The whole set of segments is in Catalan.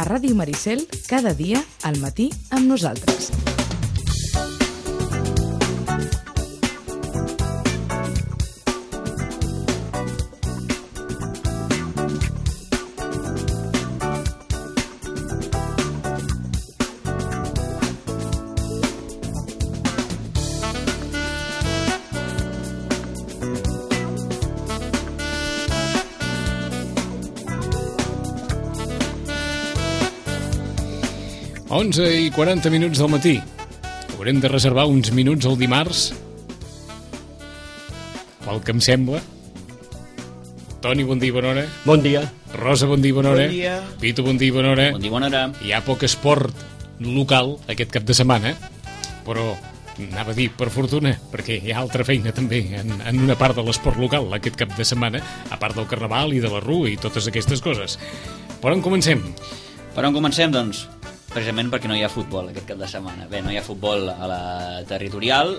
A Ràdio Maricel, cada dia, al matí, amb nosaltres. Onze i 40 minuts del matí. Haurem de reservar uns minuts el dimarts, pel que em sembla. Toni, bon dia i bona hora. Bon dia. Rosa, bon dia i bona hora. Bon dia. Pito, bon dia i bona hora. Bon dia i bona hora. Hi ha poc esport local aquest cap de setmana, però anava a dir per fortuna, perquè hi ha altra feina també en una part de l'esport local aquest cap de setmana, a part del carnaval i de la rua i totes aquestes coses. Per on comencem? Per on comencem, doncs? Precisament perquè no hi ha futbol aquest cap de setmana. Bé, no hi ha futbol a la territorial,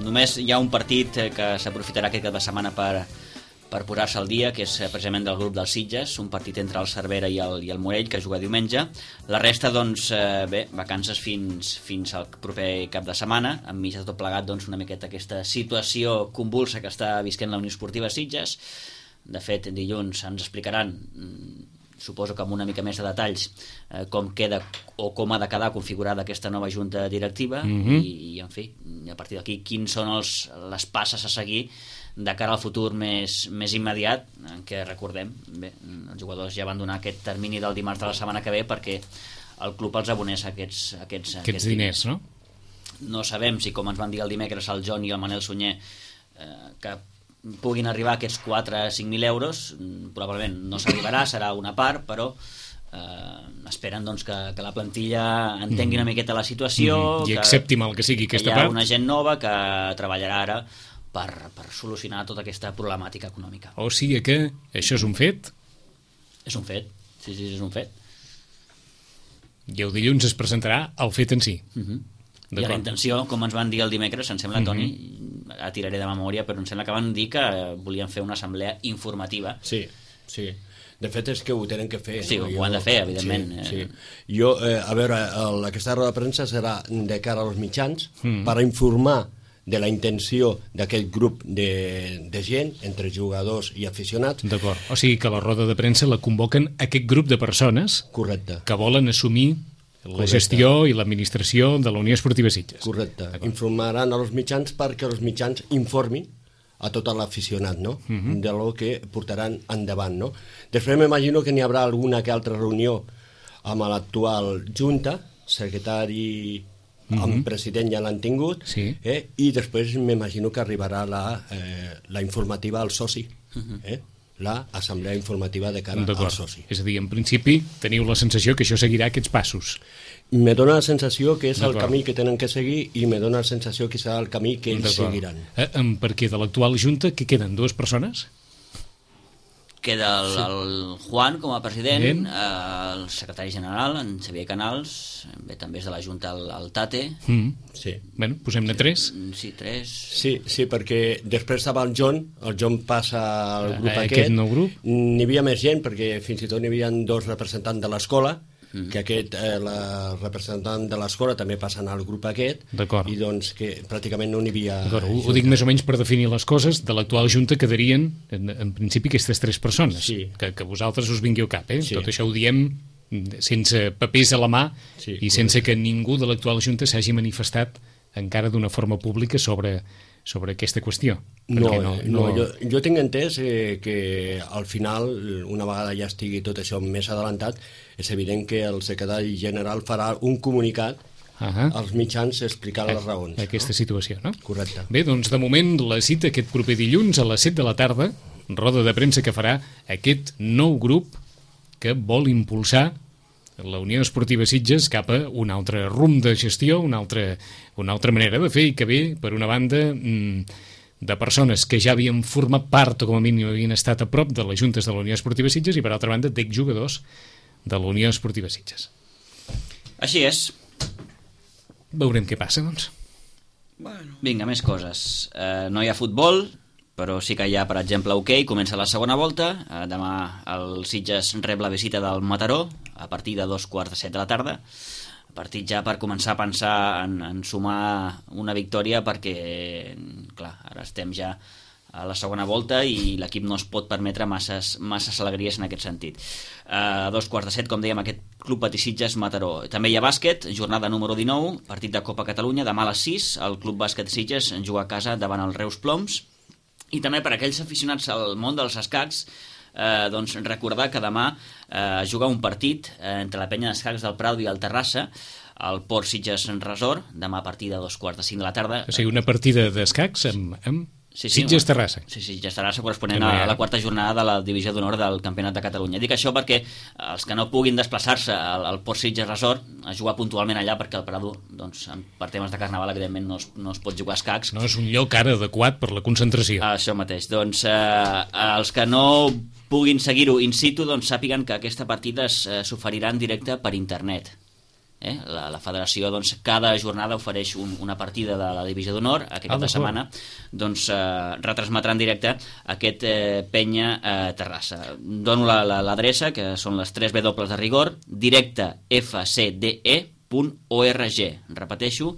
només hi ha un partit que s'aprofitarà aquest cap de setmana per posar-se al dia, que és precisament del grup dels Sitges, un partit entre el Cervera i el Morell, que juga diumenge. La resta, doncs, bé, vacances fins al proper cap de setmana, enmig de tot plegat, doncs, una miqueta aquesta situació convulsa que està visquent la Unió Esportiva Sitges. De fet, dilluns ens explicaran, suposo que amb una mica més de detalls, com queda o com ha de quedar configurada aquesta nova junta directiva i en fi, a partir d'aquí quins són les passes a seguir de cara al futur més immediat, en què recordem, bé, els jugadors ja van donar aquest termini del dimarts de la setmana que ve perquè el club els abonés aquests diners, no? No sabem si, com ens van dir el dimecres el John i el Manel Sunyer, que puguin arribar aquests 4 a 5.000 euros, probablement no s'arribarà, serà una part, però esperen doncs, que la plantilla entengui una miqueta la situació i accepti mal que sigui aquesta part. Hi ha una gent nova que treballarà ara per solucionar tota aquesta problemàtica econòmica. O sigui que això és un fet? És un fet, sí, és un fet. I el dilluns es presentarà el fet en si. I la intenció, com ens van dir el dimecres, em sembla, Toni, la tiraré de memòria, però em sembla que van dir que volien fer una assemblea informativa. Sí. De fet és que ho tenen que fer. Sí, ho han de fer, evidentment. Sí. Jo, a veure, aquesta roda de premsa serà de cara als mitjans per informar de la intenció d'aquest grup de gent, entre jugadors i aficionats. D'acord, o sigui que la roda de premsa la convoquen aquest grup de persones. Correcte. Que volen assumir la gestió i l'administració de la Unió Esportiva Sitges. Correcte. Informaran als mitjans perquè els mitjans informin a tot l'aficionat, no? De lo que portaran endavant, no? Després m'imagino que n'hi haurà alguna que altra reunió amb l'actual junta, secretari amb president ja l'han tingut, i després m'imagino que arribarà la informativa al soci, l'assemblea informativa de cara al soci. És a dir, en principi teniu la sensació que això seguirà aquests passos. Me dóna la sensació que és el camí que tenen que seguir i me dóna la sensació que serà el camí que ells seguiran. Perquè de l'actual junta que queden 2 persones? Queda el Juan com a president, el secretari general, en Xavier Canals, bé, també és de la Junta el Tate. Sí. Bueno, posem-ne 3. Sí, 3. Sí, perquè després estava el John passa al grup aquest nou grup. N'hi havia més gent, perquè fins i tot n'hi havia 2 representants de l'escola, que la representant de l'escola també passen al grup aquest, i doncs que pràcticament no n'hi havia... Ho dic més o menys per definir les coses. De l'actual junta quedarien en principi aquestes 3 persones, que vosaltres us vingui al cap, tot això ho diem sense papers a la mà i sense que ningú de l'actual junta s'hagi manifestat encara d'una forma pública sobre aquesta qüestió. Jo tinc entès que al final, una vegada ja estigui tot això més adelantat, és evident que el secretari general farà un comunicat als mitjans explicant les raons. Aquesta situació, no? Correcte. Bé, doncs de moment la cita aquest proper dilluns a les 7 de la tarda, roda de premsa que farà aquest nou grup que vol impulsar la Unió Esportiva Sitges cap a un altre rumb de gestió, una altra manera de fer, i que ve, per una banda, de persones que ja havien format part o com a mínim havien estat a prop de les juntes de la Unió Esportiva Sitges, i per altra banda d'exjugadors de la Unió Esportiva Sitges. Així és. Veurem què passa, doncs. Vinga, més coses. No hi ha futbol, però sí que hi ha, per exemple, hoquei, comença la segona volta, demà el Sitges rep la visita del Mataró a partir de 2:15 de la tarda, partit ja per començar a pensar en sumar una victòria, perquè clar, ara estem ja a la segona volta i l'equip no es pot permetre masses alegries en aquest sentit. A 2:15, com dèiem, aquest Club Patí Sitges Mataró. També hi ha bàsquet, jornada número 19, partit de Copa Catalunya, demà a les 6, el Club Bàsquet Sitges juga a casa davant el Reus Ploms. I també per aquells aficionats al món dels escacs, doncs recordar que demà juga un partit entre la penya d'escacs del Prado i el Terrassa, al Port Sitges Resort, demà a partir de 2:45 de la tarda. O sigui, una partida d'escacs amb Sí, Sitges Terrassa. Sí, Sitges Terrassa, corresponent a la quarta jornada de la divisió d'honor del Campionat de Catalunya. Dic això perquè els que no puguin desplaçar-se al Port Sitges Resort a jugar puntualment allà, perquè el Prado, doncs, per temes de carnaval, evidentment no es pot jugar a escacs. No és un lloc ara adequat per la concentració. Això mateix. Doncs els que no puguin seguir-ho in situ, doncs sàpiguen que aquesta partida s'oferirà en directe per internet. La federació, doncs, cada jornada ofereix una partida de la divisió d'honor. Aquest cap de setmana doncs retransmetrà en directe aquest penya Terrassa. Dono l'adreça, que són les 3 W de rigor, directefcde.org. Repeteixo,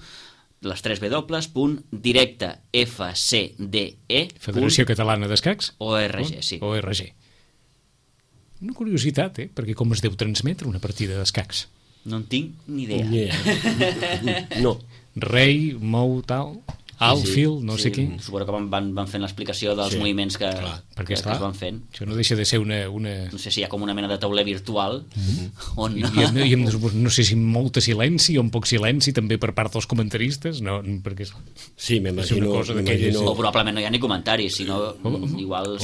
les 3 W.directefcde. Federació Catalana d'Escacs? ORG, sí. ORG. Una curiositat, perquè com es deu transmetre una partida d'escacs? No en tinc ni idea. No. Rei, mou, tal, outfield, no sé què. Suposo que van fent l'explicació dels moviments que es van fent. Això no deixa de ser una... No sé si hi ha com una mena de tauler virtual on... I no sé si amb molt silenci o amb poc silenci també per part dels comentaristes, no, perquè sí, m'imagino. O probablement no hi ha ni comentaris, sinó igual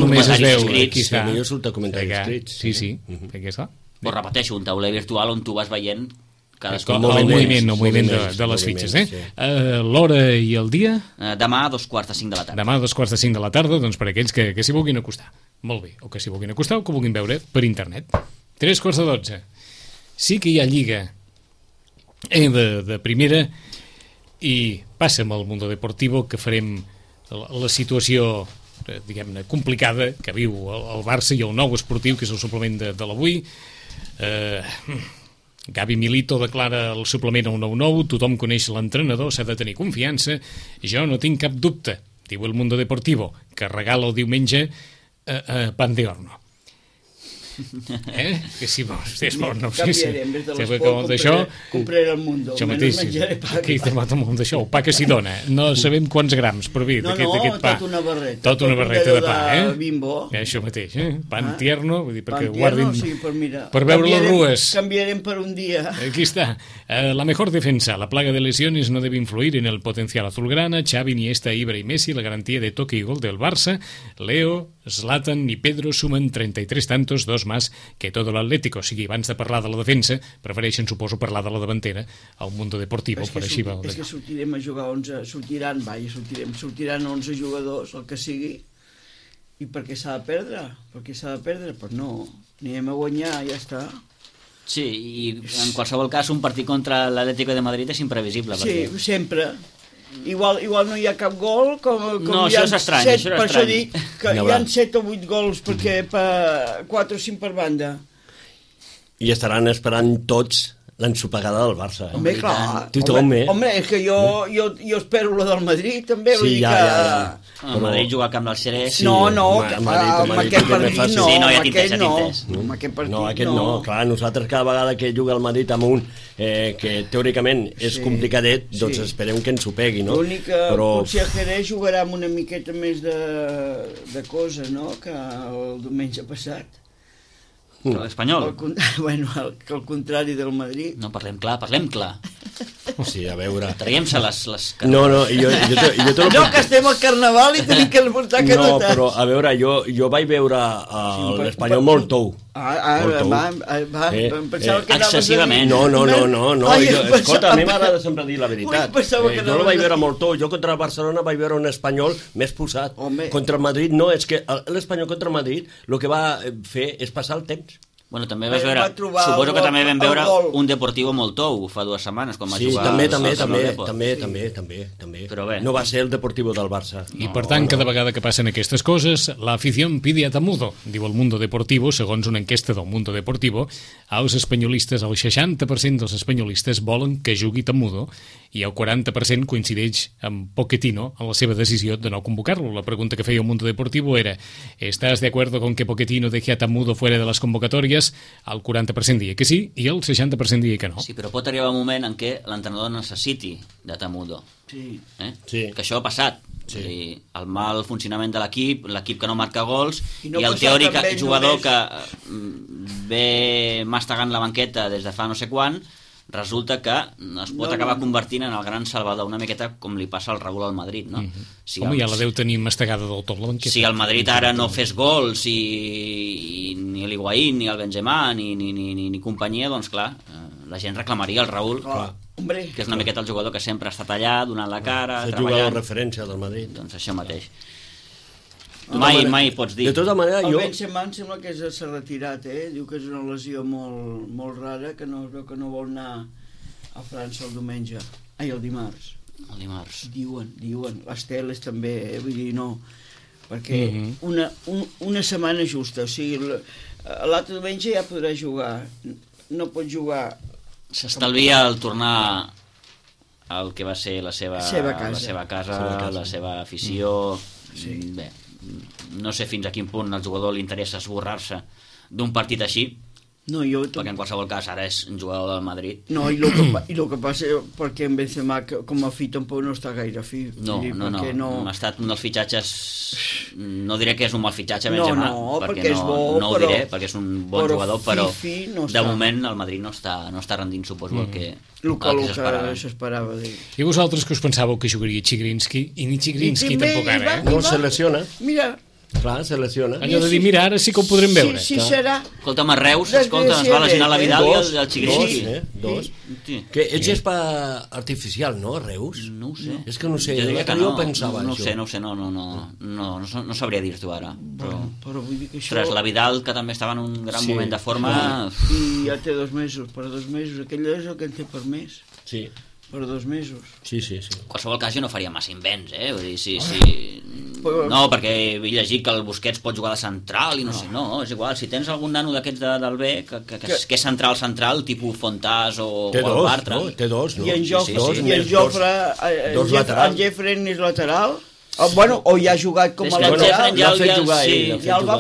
només es veu aquí està. Millor surt a comentaris escrits. Sí, perquè està. Però repeteixo, un tauler virtual on tu vas veient el moviment de les fitxes. L'hora i el dia? Demà a 2:45 de la tarda. Demà a 2:45 de la tarda, doncs per aquells que s'hi vulguin acostar. Molt bé, o que s'hi vulguin acostar o que vulguin veure per internet. 3:15. Sí que hi ha lliga de primera i passa amb el Mundo Deportivo, que farem la situació, diguem-ne, complicada que viu el Barça i el Nou Esportiu, que és el suplement de l'avui. Gavi Milito declara el suplement al 9-9, tothom coneix l'entrenador, s'ha de tenir confiança, jo no tinc cap dubte, diu el Mundo Deportivo, que regala el diumenge pan de horno. Que si vols, no sé si... Canviarem, des de l'esport compraré el Mundo, menys menjaré pa que pa. D'això, el pa que s'hi dona, no sabem quants grams per vi d'aquest pa. Tota una barreta. Tota una barreta de pa, Bimbo. Això mateix, pan tierno, vull dir, perquè guardin per veure les rues. Canviarem per un dia. Aquí está. La mejor defensa. La plaga de lesiones no debe influir en el potencial azulgrana. Xavi, Iniesta, Ibra y Messi, la garantía de toque y gol del Barça. Leo, Zlatan y Pedro sumen 33 tantos, 2 más que todo l'Atlético. O sigui, abans de parlar de la defensa, prefereixen, suposo, parlar de la davantera al Mundo Deportivo. És que sortirem a jugar 11, sortiran 11 jugadors, el que sigui, i per què s'ha de perdre? Pues no, anirem a guanyar, ja està. Sí, i en qualsevol cas un partit contra l'Atlético de Madrid és imprevisible. Sí, sempre. Igual no hi ha cap gol, com no, hi ha això és estrany, 7, per això dic que hi ha 7 o 8 gols, perquè 4 o 5 per banda. I estaran esperant tots l'ensopegada del Barça. Home, clar. Home, és que jo espero la del Madrid, també. Sí, ja. El Madrid juga a Camp del Xerès. No, amb aquest partit no. Sí, no, ja t'he entès. Amb aquest partit no. Aquest no. Clar, nosaltres cada vegada que juga el Madrid amb un que teòricament és complicadet, doncs esperem que ens ho pegui, no? L'únic que potser a Jerez jugarà amb una miqueta més de cosa, no?, que el diumenge passat. L'Espanyol? Bueno, que al contrari del Madrid. No, parlem clar. Sí, a veure... Traiem-se les... No, jo no, que estem al Carnaval i tenim que portar carotes. No, però a veure, jo vaig veure l'Espanyol molt tou. Pensava que excessivament. No. Escolta, a mi m'agrada sempre dir la veritat. Jo el vaig veure molt tou. Jo contra el Barcelona vaig veure un Espanyol més posat. Contra el Madrid no, és que l'Espanyol contra el Madrid el que va fer és passar el temps. Bueno, també vas Va veure, trobar suposo que també vam veure el gol. un Deportivo molt tou fa 2 setmanes, quan va Sí, jugar també. Però bé. No va ser el Deportivo del Barça. I per tant, cada vegada que passen aquestes coses, la afición pide a Tamudo, diu el Mundo Deportivo, segons una enquesta del Mundo Deportivo. Els espanyolistes, el 60% dels espanyolistes volen que jugui Tamudo i el 40% coincideix amb Pochettino en la seva decisió de no convocar-lo. La pregunta que feia el Mundo Deportivo era: ¿estás de acuerdo con que Pochettino deje a Tamudo fuera de las convocatorias? El 40% deia que sí i el 60% deia que no. Sí, però pot arribar un moment en què l'entrenador necessiti de Tamudo. Sí. Sí. Que això ha passat. Sí. Dir, el mal funcionament de l'equip que no marca gols I no i el passar teòric també jugador només. que ve mastegant la banqueta des de fa no sé quan, resulta que es pot acabar convertint en el gran salvador, una miqueta com li passa al Raúl al Madrid, no? Si Home, ja la deu tenir mastegada del tot la banqueta. Si el Madrid ara no fes gols i ni l'Higuaín, ni el Benzema, ni companyia, doncs clar, la gent reclamaria el Raúl, Hombre, que és una miqueta el jugador que sempre ha estat allà, donant la cara, És el jugador treballant. referència del Madrid. Doncs això mateix. manera- Mai pots dir. De tota manera, el jo... Benzema em sembla que s'ha retirat, Diu que és una lesió molt rara, que no vol anar a França el diumenge. Ai, el dimarts. El dimarts. Diuen, les teles també, vull dir, no, perquè una setmana justa, o sigui, l'altre diumenge ja podrà jugar, no pot jugar... S'estalvia el tornar al que va ser la seva casa, la seva afició. Bé, no sé fins a quin punt al jugador li interessa esborrar-se d'un partit així, No, perquè en qualsevol cas ara és un jugador del Madrid. No, i el que passa perquè en Benzema com a fi tampoc no està gaire fi. No, ha estat un dels fitxatges, no diré que és un mal fitxatge Benzema, perquè és bo, no ho diré, perquè és un bon jugador, però de moment el Madrid no està rendint, suposo, el que s'esperava. I vosaltres que us pensàveu que jugaria Chigrinsky? I ni Chigrinsky tampoc ara, No se lesiona. Mira, clar, se lesiona. Allò de dir, mira, ara sí que ho podrem veure. Sí, serà. Escolta'm, a Reus, es va lesionar la Vidal i el Chigrinsky. Dos. Que ets gespa artificial, no, Reus? No ho sé. És que no sé, jo pensava no això. sé, no sabria dir-t'ho ara. Però vull dir que això... Ostres, la Vidal, que també estava en un gran moment de forma... I ja té 2 mesos, per 2 mesos. Aquell és el que en té per mes. Sí. Per 2 mesos. Sí. En qualsevol cas jo no faria massa invents, Vull dir, sí. No, perquè he llegit que el Busquets pot jugar de central i no sé, no, és igual. Si tens algun nano d'aquests del B que és central, tipus Fontàs o el Bartra... Té dos, no? I en Jofre, el Jeffren és lateral... Bueno, o ja ha jugat com a lateral. Ja l'ha fet jugar ell. Ja el va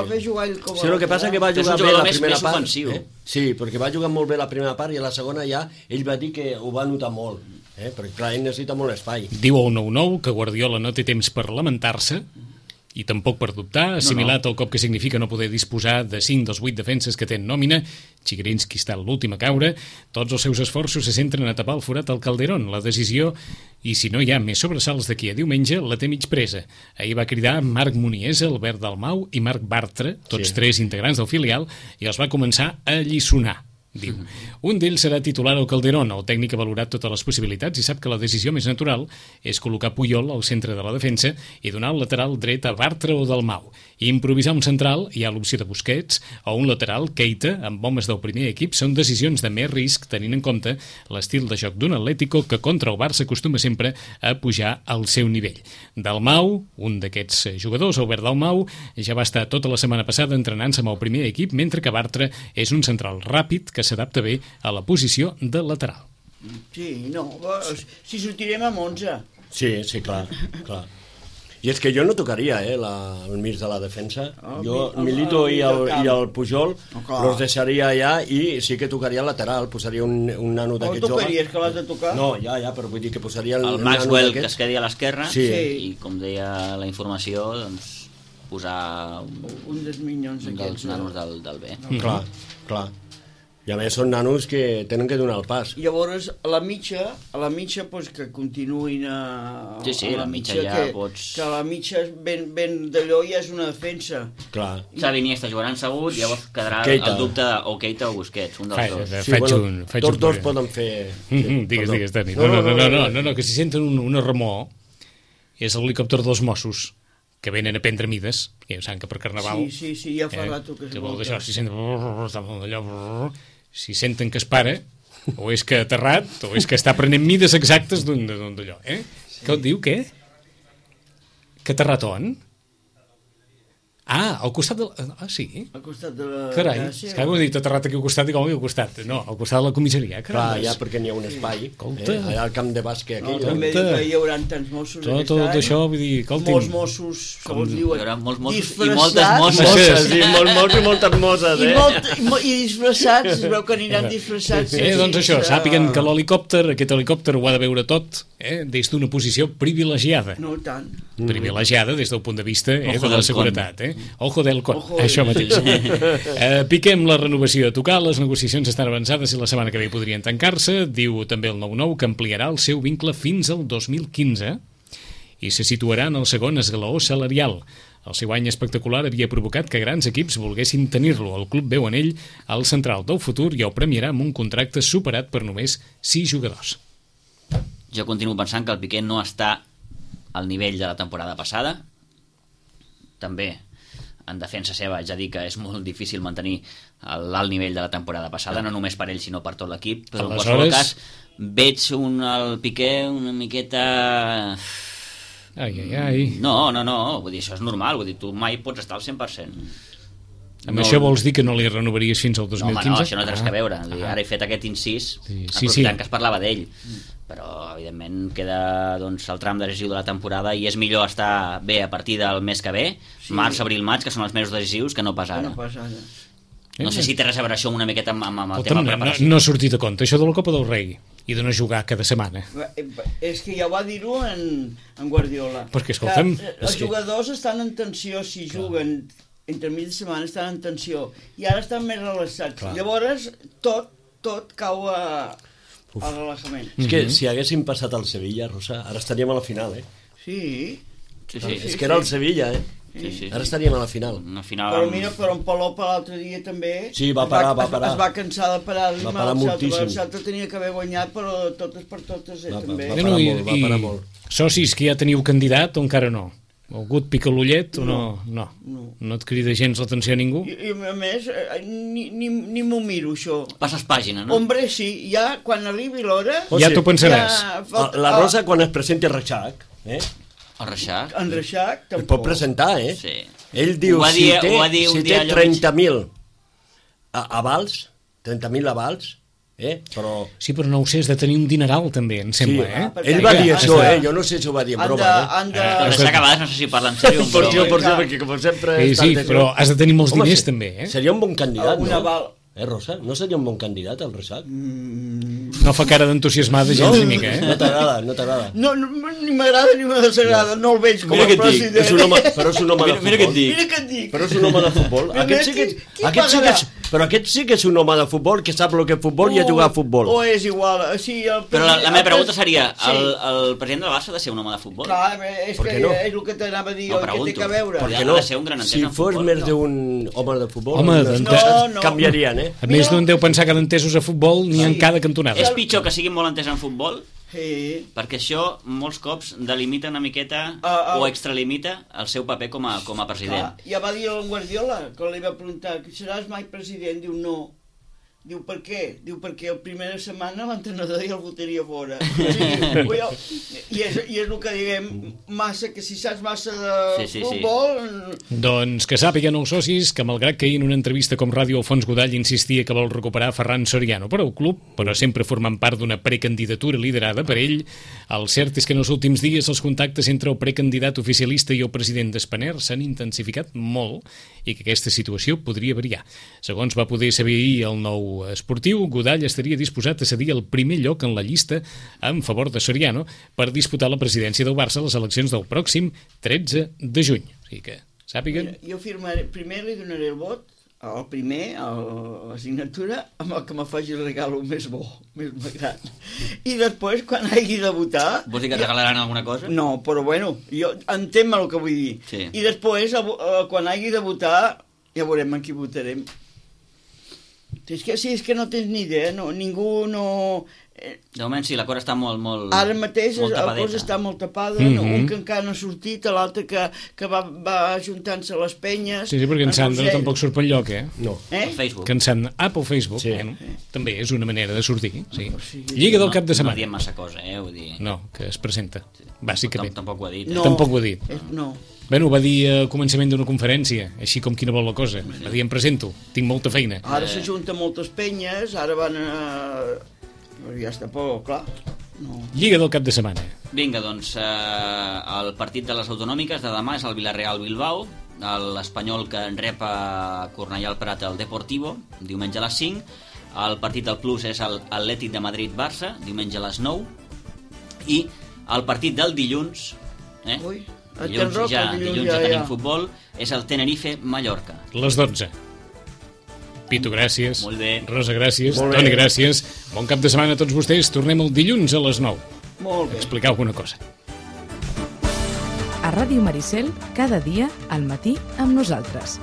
fer jugar ell com a lateral. Sí, el que passa que va jugar bé la primera part. Ofensiu. Sí, perquè va jugar molt bé la primera part i a la segona ja ell va dir que ho va notar molt, perquè clar, ell necessita molt espai. Diu el 9-9 que Guardiola no té temps per lamentar-se i tampoc per dubtar, assimilat el cop que significa no poder disposar de 5 dels 8 defenses que té en nòmina. Chigrinsky està l'últim a caure. Tots els seus esforços se centren a tapar el forat al Calderón. La decisió, i si no hi ha més sobresalts d'aquí a diumenge, la té mig presa. Ahir va cridar Marc Muniesa, Albert Dalmau i Marc Bartra, tots 3 integrants del filial, i els va començar a alliçonar. Diu, un d'ells serà titular al Calderón. El tècnic ha valorat totes les possibilitats i sap que la decisió més natural és col·locar Puyol al centre de la defensa i donar el lateral dret a Bartra o Dalmau. I improvisar un central, hi ha l'opció de Busquets, o un lateral, Keita, amb homes del primer equip, són decisions de més risc tenint en compte l'estil de joc d'un Atlético que contra el Barça acostuma sempre a pujar al seu nivell. Dalmau, un d'aquests jugadors, Albert Dalmau, ja va estar tota la setmana passada entrenant-se amb el primer equip, mentre que Bartra és un central ràpid que s'adapta bé a la posició de lateral. Sí, no, si sortirem amb 11. Sí, clar. I és que jo no tocaria el mig de la defensa. Jo, Milito i el Pujol los deixaria allà i sí que tocaria el lateral, posaria un nano d'aquest jove. Tocaries que l'has de tocar? No, ja, però vull dir que posaria el Maxwell que es quedi a l'esquerra i com deia la informació, doncs posar un dels minyons dels nanos del B. Clar. I a més són nanos que tenen que donar el pas. Llavors, a la mitja pues, que continuïn a... Sí, a la mitja ja pots... Que a la mitja ben d'allò ja és una defensa. Clar. Xavi Iniesta jugaran segut, llavors quedarà el dubte o Keita o Busquets, un dels dos. Tots dos poden fer... Digues, Dani. No, que si senten una remor és l'helicòpter dels Mossos que venen a prendre mides, que ja saben que per Carnaval... Sí, ja fa rato que es vol volta. d'això, si senten que es para, o és que ha aterrat, o és que està prenent mides exactes d'allò, eh? Sí. Què et diu, què? Que ha aterrat on? Ah, al costat de... Ah, sí? Al costat de la... Carai, és que m'ho he dit aterrat aquí al costat i com al costat. No, al costat de la comissaria. Clar, ja perquè n'hi ha un espai. Escolta. Allà al camp de bàsquet aquí. També diu que hi haurà tants Mossos tot això, vull dir, escolti'm. Molts Mossos, segons diuen. Hi haurà molts Mossos disfressats. i moltes Mosses, Mosses. sí, molts i moltes mosses, I disfressats, es veu que aniran disfressats. Doncs això, sàpiguen que aquest helicòpter ho ha de veure tot, des d'una posició privilegiada. No tant. Privilegiada des del punt de vista de Ojo la del seguretat. Ojo del con, Ojo això del- mateix. Piquem la renovació a tocar, les negociacions estan avançades i la setmana que ve podrien tancar-se. Diu també el 9-9 que ampliarà el seu vincle fins al 2015 i se situarà en el segon esglaó salarial. El seu any espectacular havia provocat que grans equips volguessin tenir-lo. El club veu en ell el central del futur i el premiarà amb un contracte superat per només 6 jugadors. Jo continuo pensant que el Piqué no està al nivell de la temporada passada. També en defensa seva ja dic que és molt difícil mantenir l'alt nivell de la temporada passada, no només per ell sinó per tot l'equip, però en qualsevol cas veig el Piqué una miqueta... Ai. No, vull dir, això és normal, vull dir, tu mai pots estar al 100%. Amb això vols dir que no li renovaries fins al 2015? No, home, no, això no té res a veure. Ara he fet aquest incís, aprofitant que es parlava d'ell. Però, evidentment, queda el tram decisiu de la temporada i és millor estar bé a partir del mes que ve, març, abril, maig, que són els mesos decisius, que no pas ara. No sé si té res a veure això una miqueta amb el tema preparació. No ha sortit a compte, això de la Copa del Rei i de no jugar cada setmana. És que ja va dir-ho en Guardiola. Perquè, escolta'm... Els jugadors estan en tensió si juguen entre mig de setmana, estan en tensió i ara estan més relaxats. Llavors tot cau al relaxament. És que si haguéssim passat al Sevilla, Rosa, ara estaríem a la final, eh? Sí. És que era el Sevilla, eh? Sí. Ara estaríem a la final. Però mira, però en Palop l'altre dia també... Sí, va parar. Es va cansar de parar. Va parar moltíssim. El Celta tenia que haver guanyat, però totes per totes també. Va parar molt. Socis que ja teniu candidat o encara no? Algú et pica l'ullet o no? No et crida gens l'atenció a ningú? I a més, ni m'ho miro, això. Passes pàgina, no? Hombre, sí, ja quan arribi l'hora... Ja t'ho pensaràs. La Rosa, quan es presenti a Reixac, El Reixac? En Reixac, es pot presentar, eh? Sí. Ell diu, si té 30.000 avals, 30.000 avals, però... Sí, però no ho sé, has de tenir un dineral també, em sembla, Ell va dir això, jo no sé si ho va dir en broma, El Reixac a vegades no sé si parla en sèrio. perquè com sempre... Sí, però has de tenir molts diners també, Seria un bon candidat, un aval. Rosa? No seria un bon candidat, el Reixac? No fa cara d'entusiasmada gens ni mica, No t'agrada. No, ni m'agrada ni me desagrada, no el veig com a president. Però és un home de futbol. Mira què et dic. Mira què et dic. Però és un home de futbol. Però aquest sí que és un home de futbol que sap el que és futbol i a jugar a futbol. O és igual. Sí, però la meva pregunta seria, el president del Barça ha de ser un home de futbol? Clar, és que és el que t'anava a dir, que té que veure. Per què Ha de ser un gran entès en futbol. Si fos més d'un home de futbol, canviarien, A més d'un deu pensar que d'entesos a futbol n'hi ha en cada cantonada. És pitjor que siguin molt entès en futbol? Sí. Perquè això molts cops delimita una miqueta o extralimita el seu paper com a president. Ja va dir el Guardiola, quan li va preguntar que seràs mai president, diu no. Diu, per què? Diu, perquè el primera setmana l'entrenador ja el votaria fora. I és el que diguem, massa, que si saps massa de futbol... Doncs que sàpiguen els socis que malgrat que ahir en una entrevista com Ràdio Alfons Godall insistia que vol recuperar Ferran Soriano per al club, però sempre formant part d'una precandidatura liderada per ell, el cert és que en els últims dies els contactes entre el precandidat oficialista i el president d'Spanair s'han intensificat molt i que aquesta situació podria variar. Segons va poder saber ahir el Nou Esportiu, Godall estaria disposat a cedir el primer lloc en la llista en favor de Soriano per disputar la presidència del Barça a les eleccions del pròxim 13 de juny. O sigui que sàpiguen... Jo firmaré, primer li donaré el vot, el primer, la signatura, amb el que me faci el regalo més bo, més gran. I després, quan hagi de votar... Vols dir que et regalaran alguna cosa? No, però bueno, jo entenc el que vull dir. Sí. I després, quan hagi de votar, ja veurem en qui votarem. És que no tens ni idea, no, ningú no... De moment sí, la cosa està molt Ara mateix molt la tapadeta. cosa està molt tapada, no? Un que encara no ha sortit, l'altre que va ajuntant-se a les penyes... Sí, perquè en Sandra tampoc surt per enlloc, No. Pel Facebook. Que en Sandra... Pel Facebook, Sí. també és una manera de sortir, sí. Lliga del cap de No setmana. diem massa cosa, vull dir... No, que es presenta, bàsicament. Tampoc ho ha dit. No. Tampoc ho ha dit. No. Bueno, ho va dir al començament d'una conferència, així com quina vol la cosa. Va dir, em presento, tinc molta feina. Ara s'ajunten moltes penyes, ara van a... Però ja està por, clar. No. Lliga del cap de setmana. Vinga, doncs, el partit de les autonòmiques de demà és el Villarreal-Bilbao, l'Espanyol que en rep a Cornellà al Prat el Deportivo, diumenge a les 5, el partit del Plus és l'Atlètic de Madrid-Barça, diumenge a les 9, i el partit del dilluns, Ui, a Can Roca, dilluns ja tenim futbol, és el Tenerife-Mallorca. Les 12. Pitu, gràcies. Molt bé. Rosa, gràcies. Toni, gràcies. Bon cap de setmana a tots vostès. Tornem el dilluns a les 9. Molt bé. Explicar alguna cosa. A Ràdio Maricel, cada dia, al matí, amb nosaltres.